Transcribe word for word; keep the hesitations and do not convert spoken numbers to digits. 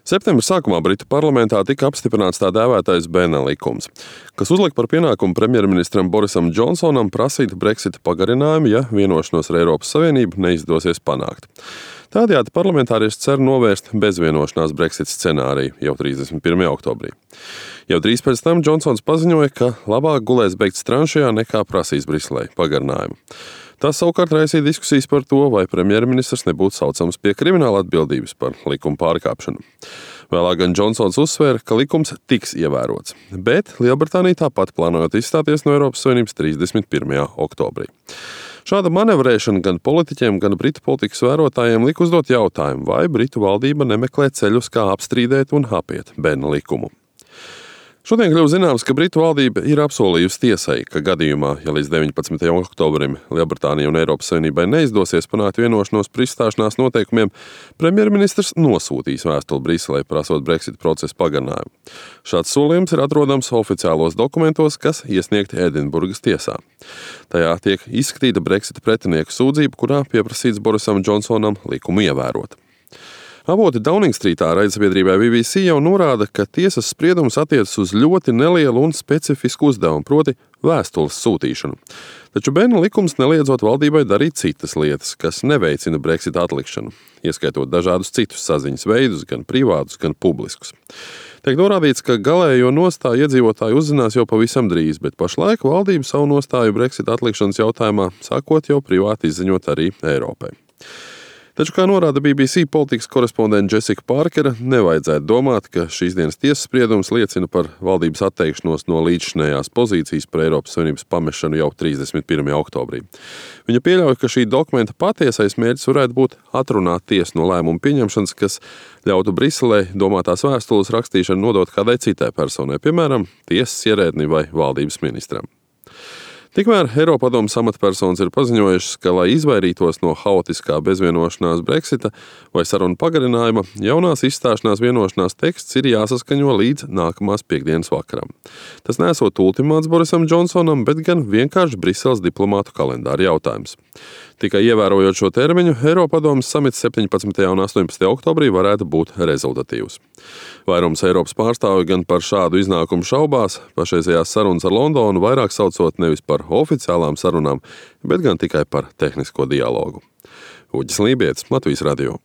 Septembra sākumā Britu parlamentā tika apstiprināts tā dēvētais Benna likums, kas uzlika par pienākumu premjerministram Borisam Džonsonam prasīt Brexita pagarinājumu, ja vienošanos ar Eiropas Savienību neizdosies panākt. Tādējādi parlamentārieši cer novērst bezvienošanās Brexit scenāriju jau trīsdesmit pirmajā oktobrī. Jau drīz pēc tam Džonsons paziņoja, ka labāk gulēs beigt tranšajā nekā prasīs Briselei pagarinājumu. Tas savukārt raisīja diskusijas par to, vai premjerministrs nebūtu saucams pie krimināla atbildības par likuma pārkāpšanu. Vēlāk gan Džonsons uzsvēra, ka likums tiks ievērots, bet Lielbritānija tāpat plānojot izstāties no Eiropas Savienības trīsdesmit pirmajā oktobrī. Šāda manevrēšana gan politiķiem, gan britu politikas vērotājiem lika uzdot jautājumu, vai britu valdība nemeklē ceļus, kā apstrīdēt un apiet Benna likumu. Šodien kļuva zināms, ka Britu valdība ir apsolījusi tiesai, ka gadījumā, ja līdz deviņpadsmitajam oktobrim Lielbritānija un Eiropas Savienībai neizdosies panākt vienošanos par izstāšanās noteikumiem, premjerministrs nosūtīs vēstuli Briselei prasot Brexit procesa pagarinājumu. Šāds solījums ir atrodams oficiālos dokumentos, kas iesniegti Edinburgas tiesā. Tajā tiek izskatīta Brexita pretinieku sūdzība, kurā pieprasīts Borisam Džonsonam likumu ievērot. Avoti Downing Streetā raidsabiedrībai B B C jau norāda, ka tiesas spriedums attiecas uz ļoti nelielu un specifisku uzdevumu, proti vēstules sūtīšanu. Taču Benna likums neliedzot valdībai darīt citas lietas, kas neveicina Brexit atlikšanu, ieskaitot dažādus citus saziņas veidus, gan privātus, gan publiskus. Tiek norādīts, ka galējo nostāju iedzīvotāji uzzinās jau pavisam drīz, bet pašlaik valdība savu nostāju Brexit atlikšanas jautājumā sākot jau privāti izziņot arī Eiropai. Taču, kā norāda B B C politikas korespondente Jessica Parkera, nevajadzētu domāt, ka šīs dienas tiesas spriedums liecina par valdības atteikšanos no līdzšinējās pozīcijas par Eiropas Savienības pamešanu jau trīsdesmit pirmajā oktobrī. Viņa pieļauj, ka šī dokumenta patiesais mērķis varētu būt atrunāt tiesu no lēmumu pieņemšanas, kas ļautu Briselei domātās vēstules rakstīšanu nodot kādai citai personai, piemēram, tiesas ierēdnim vai valdības ministram. Tikmēr Eiropadomes amatpersonas ir paziņojušas, ka, lai izvairītos no haotiskā bezvienošanās Brexita vai sarunu pagarinājuma, jaunās izstāšanās vienošanās teksts ir jāsaskaņo līdz nākamās piektdienas vakaram. Tas nesot ultimāts Borisam Džonsonam, bet gan vienkārši Briseles diplomātu kalendāra jautājums. Tikai ievērojot šo termiņu, Eiropadomes samits septiņpadsmitajā un astoņpadsmitajā oktobrī varētu būt rezultatīvs. Vairums Eiropas pārstāvju gan par šādu iznākumu šaubās, pašreizējās sarunas ar Londonu vairāk saucot nevis par oficiālām sarunām, bet gan tikai par tehnisko dialogu. Uģis Lībietis, Latvijas radio.